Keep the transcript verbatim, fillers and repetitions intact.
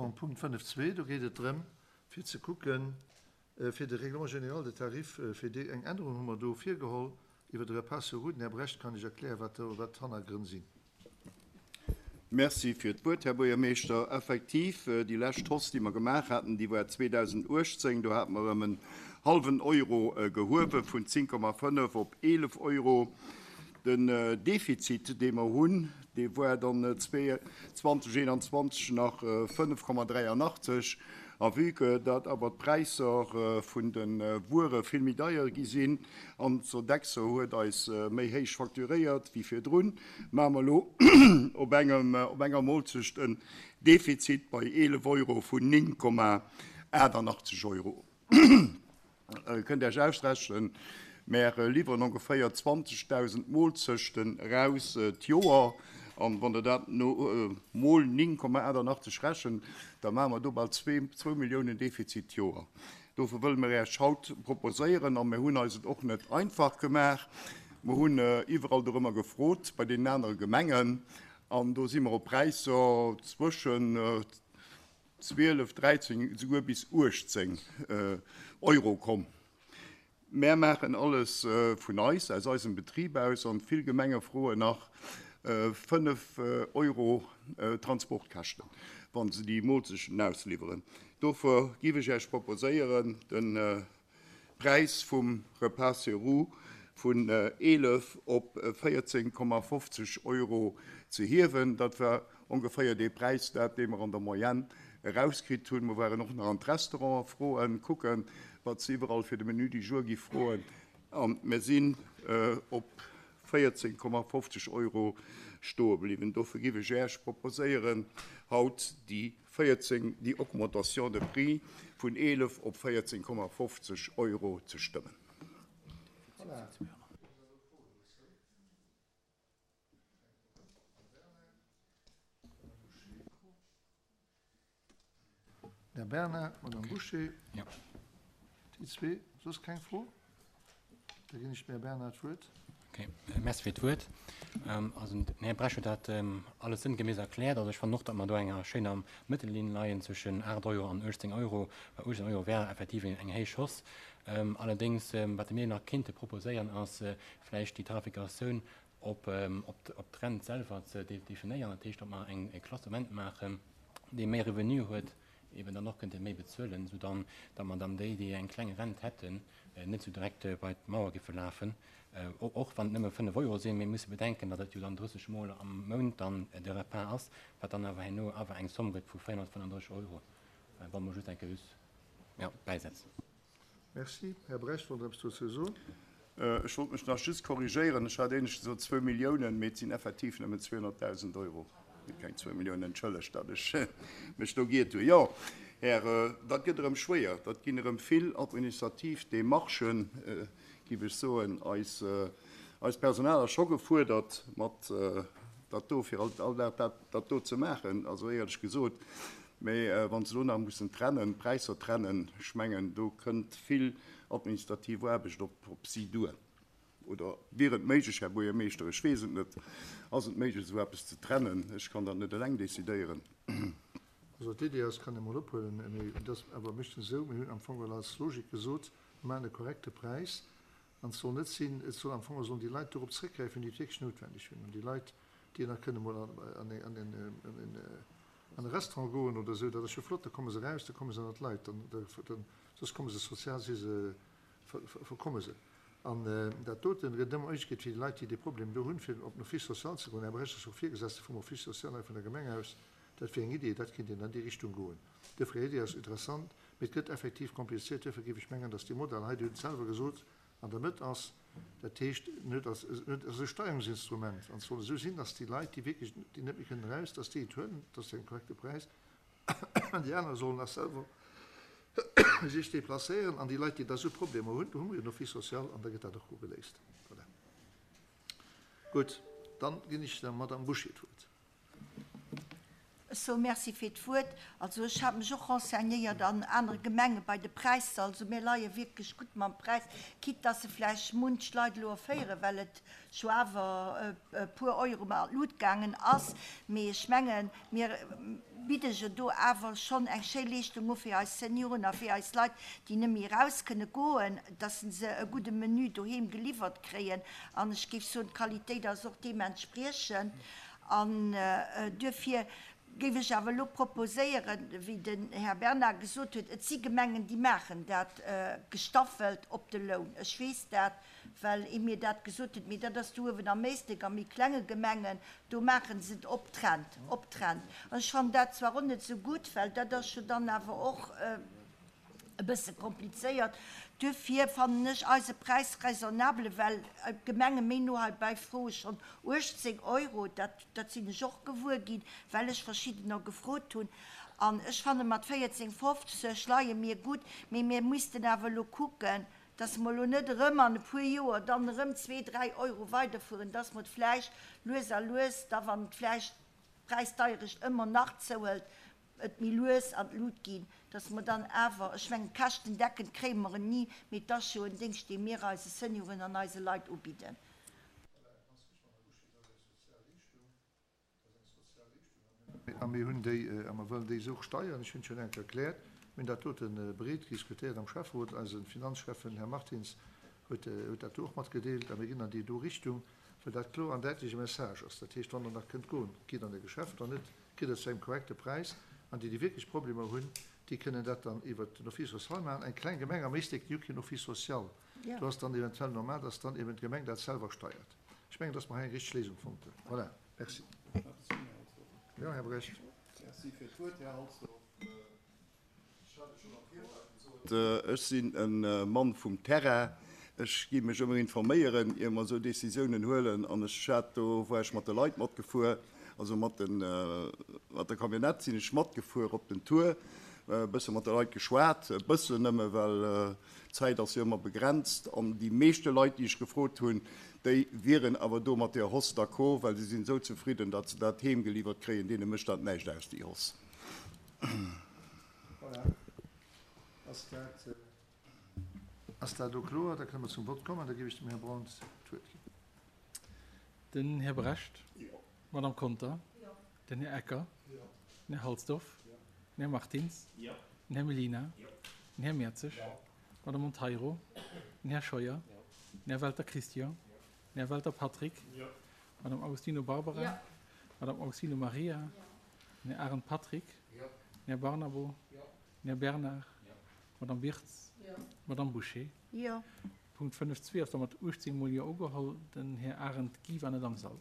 mer um Punkt fënnef zwee. Do geet et drëm, fir ze kucken, fir de Règlement général des tarifs, fir déi eng Ännerung hu mer do virgeholl iwwer de Repas sur route. Den Här Brecht kann Iech erklären, wat do, wat d'Hannergrënn sinn. Merci fir d'Wuert, Här Buergermeeschter. Effektiv, déi lescht Hausse, déi mer gemaach haten, déi war zweedausenduechtzéng. Do hate mer ëm en hallwen Euro gehuewe vun zéng Komma fënnef op eelef Euro. Den Defizit, dee mer hunn, dee war dann zweitausendzwanzig nach fënnef Komma dräiundachtzeg. A vue que dat awer d'Präisser vun de Wuere vill méi deier gi sinn an Sodexo huet eis méi héich facturéiert wéi virdrun, maache mer elo op engem, op enger Moolzecht en Defizit bei eelef Euro vun néng Komma achtundachtzeg Euro. Kënnt Iech ausrechnen, mer liwweren ongeféier zwanzigtausend Moolzechten raus d'Joer. An wann der dat no mol néng Komma achtundachtzeg rechent, da machen wir do bal zwee, zwou Milliounen Defizit d'Joer. Dofir wëlle mir Iech haut proposéieren, a mir hunn eis et och net einfach gemaach. Mir hunn iwwerall dorëmmer gefrot bei den anere Gemengen, an do si mir op Präisser zwëschen zwielef, dräizéng, souguer bis uechtzéng Euro komm. Mir machen alles vun eis, aus eisem Betrieb aus, an vill Gemenge froen nach fënnef Euro Transportkäschten, wann se déi Moolzechten ausliwweren. Dofir giff ech Iech proposéieren, den Preis vum Repas sur roue vun eelef op véierzéng Komma fofzeg Euro ze hiewen. Dat war ongeféier dee Präis, dat dee mer an der Moyenne erauskritt hunn. Mir waren och nach an d'Restaurante froen, kucken, wat se iwwerall fir de Menü du jour gi froen. An mir sinn op véierzéng Komma fofzeg Euro stoe bliwwen. Dofir giff ech Iech proposéieren, haut déi véierzéng, déi Augmentation de prix vun eelef op véierzéng Komma fofzeg Euro ze stëmmen. Här Bernard, Madame Boucher. Ja. Déi zwee, soss keng Fro? Da ginn ech mir Bernard d'Wuert. Okay, merci fir d'Wuert. Also, den Här Brecht huet dat alles sinngemäß erkläert. Also, ech fand och, datt mer do enger schéiner Mëttellinn leien zwëschen acht Euro an uechtzéng Euro. Well uechtzéng Euro wär effektiv eng héich Hausse. Allerdéngs, wat mir nach kéinte proposéieren, ass vläicht déi Tarifikatioun op, op, op d'Rent selwer ze definéieren. Dat heescht, datt mer eng, e Klassement maachen, dee méi Revenu huet, eben dann och könnte méi bezuelen, so dann, datt man dann déi, déi eng kleng Rent hätten, net so direkt bei d'Mauer giffe lafen. Och wann et nëmme fënnef Euro sinn, mir musse bedenken, datt et jo dann drësseg Mol am Mount dann de Repas ass, wat dann awer herno awer eng Somme gëtt vu véierhonnertfënnenddrësseg Euro, wa mer just eng Kéier just, ja, bäisetzen. Merci. Här Brecht, wollt Der eppes dozou soen? Ech wollt mech nach just korrigéieren. Ech hat éinescht gesot zwou Milliounen, mee et sinn effektiv nëmmen zweehonnerttausend Euro. Keng zwou Milliounen, entschëllegt, datt ech mech do giert hunn. Jo, Här, dat gëtt erëm schwéier. Dat ginn erëm vill administrativ Demarchen, giff ech soen. Eis, eis Personal ass scho gefuerdert, mat dat do, fir all, all Dag dat, dat do ze maachen. Also éierlech gesot, mee wann se do nach mussen trennen, Präisser trennen, ech mengen, do kënnt vill administrativ Aarbecht op, op si duer. Oder wier et méiglech, Här Buergermeeschter, ech weess et net, ass et méiglech, esou eppes ze trennen? Ech kann dat net eleng decidéieren. Also d'Idee ass, kann ee mol ophuelen, mee et ass awer meeschtens esou, mir hunn am Fong well als Logik gesot, mir maachen e korrekte Präis an et soll net sinn, et soll am Fong sollen déi Leit dorop zréckgräifen, déi et wierklech noutwendeg hunn. An déi Leit, déi nach kënne mol an, an, an, an, an e Restaurant goen oder esou, dat ass jo flott, da komme se raus, da komme se ënner d'Leit, dann, da, dann, soss komme se sozial, si se, ver, ver, verkomme se. An dat doten gëtt ëmmer Méiglechkeet fir déi Leit, déi dee Problem do hunn, fir op den Office social ze goen. Här Brecht ass och Virgesetzte vum Office social hei vun der Gemeng aus. Dat wier eng Idee, dat kéint een an déi Richtung goen. Duerfir, Idee ass interessant, mee et gëtt effektiv kompliziert. Duerfir géif ech mengen, datt dee Modell hei, Dir hutt et selwer gesot, an der Mëtt ass. Dat heescht, en huet als, en huet als e Steuerungsinstrument. An et soll esou sinn, datt déi Leit, déi wierklech, déi net méi kënnen eraus, datt déi et huelen, dat ass en korrekte Präis. An déi aner sollen nach selwer sech déplacéieren. An déi Leit, déi da sou Problemer hunn, do hu mer jo den Office social an da gëtt dat och gutt geléist. Voilà. Gutt, dann ginn ech der Madame Boucher d'Wuert. Ech soe Merci fir d'Wuert. Also ech hat mech och renseignéiert an anere Gemenge bei de Präisser. Also mir leie wierklech gutt mam Präis, quitte dass se vläicht munch Leit elo erféieren, well et scho awer e puer Euro an d'Lut gaangen ass. Mee ech mengen, mir bidde jo do awer schonn eng schéi Leeschtung u fir eis Senioren a fir eis Leit, déi net méi eraus kënne goen, dass se e gudde Menü doheem geliwwert kréien. An ech géif soen, d'Qualitéit ass och deementspriechend. An duerfir géif ech awer elo proposéieren, wéi den Här Bernard gesot huet, et si Gemengen, déi maachen dat gestaffelt op de Loun. Ech weess dat, well ee mir dat gesot huet, mee dat ass do uewen am Éislek a méi klenge Gemengen, do maache se et op Trend, op Trend. An ech fannen dat zwar och net esou gutt, well dat ass jo dann awer och e bësse komplizéiert. Duerfir fannen ech eise Präis raisonnable, well d'Gemenge méi no heibäi froe schonn uechtzéng Euro. Dat, dat sinn ech och gewuer ginn, well ech verschiddener gefrot hunn. An ech fanne mat véierzéng fofzeg leie mir gutt, mee mir missten awer elo kucken, dass mer elo net erëm an e puer Joer dann erëm zwee, dräi Euro weiderfueren, dass mer et vläicht lues a lues da, wann vläicht d'Präisdeierecht ëmmer nach zouhëlt, et méi lues an d'Lut ginn, dass mer dann awer, ech mengen, käschtendeckend kréie mer en ni, mee et ass jo en Déngscht, dee mir eise Senioren an eise Leit ubidden. A mir hunn déi, a mer wëllen déi och steieren, ech hunn et schonn eng Kéier erkläert, mir hunn dat dote breet diskutéiert am Schäfferot, eise Finanzschäffen, Här Martins, huet, huet dat do och matgedeelt, a mir ginn an déi do Richtung, well dat kloer an däitlech e Message ass. Dat heescht, wann Der nach kënnt goen, gitt an e Geschäft, wann net, kritt Der et zu engem korrekte Präis. An déi, déi wierklech Problemer hunn, déi kënnen dat dann iwwert den Office social maachen. Eng kleng Gemeng am Éislek, déi hu keen Office social. Do ass dann eventuell normal, dass dann eben d'Gemeng dat selwer steiert. Ech mengen, dass mer hei eng richteg Léisung fonnt hunn. Voilà. Merci. Jo, Här Brecht. Merci fir d'Wuert, Här Halsdorf. Ech hat et schonn am Virfeld gesot, ech sinn e Mann vum Terrain. Ech gi mech ëmmer informéieren, ier mer esou Décisiounen huelen. An ech hat do, war ech mat de Leit matgefuer, also mat den, mat der Camionnette sinn ech matgefuer op den Tour, e bësse mat de Leit geschwat, e bëssen nëmme, well d'Zäit ass jo ëmmer begrenzt. An déi meeschte Leit, déi ech gefrot hunn, déi wieren awer do mat där Hausse d'accord, well se sinn esou zefridden, datt se dat heem geliwwert kréien. Deene mécht dat näischt aus, déi Hausse. Voilà. Ass dat, ass dat elo kloer? Da kënne mer zum Vott kommen. Da géif ech dem Här Braun d'Wuert ginn. Den Här Brecht. Jo. D'Madame Conter. Jo. Den Här Ecker. Jo. Den Här Halsdorf. Jo. Den Här Martins. Jo. Den Här Mellina. Jo. Den Här Mertzig. Jo. D'Madame Monteiro. Den Här Scheuer. Jo. Den Här Welter Christian. Jo. Den Här Welter Patrick. Jo. D'Madame Agostino Barbara. Jo. D'Madame Agostino Maria. Jo. Den Här Arendt Patrick. Jo. Den Här Barnabo. Jo. Den Här Bernard. Jo. D'Madame Birtz. Jo. D'Madame Bouché. Jo. Punkt fënnef zwee ass da mat uechtzéng mol Jo ugeholl. Den Här Arendt Guy war net am Sall.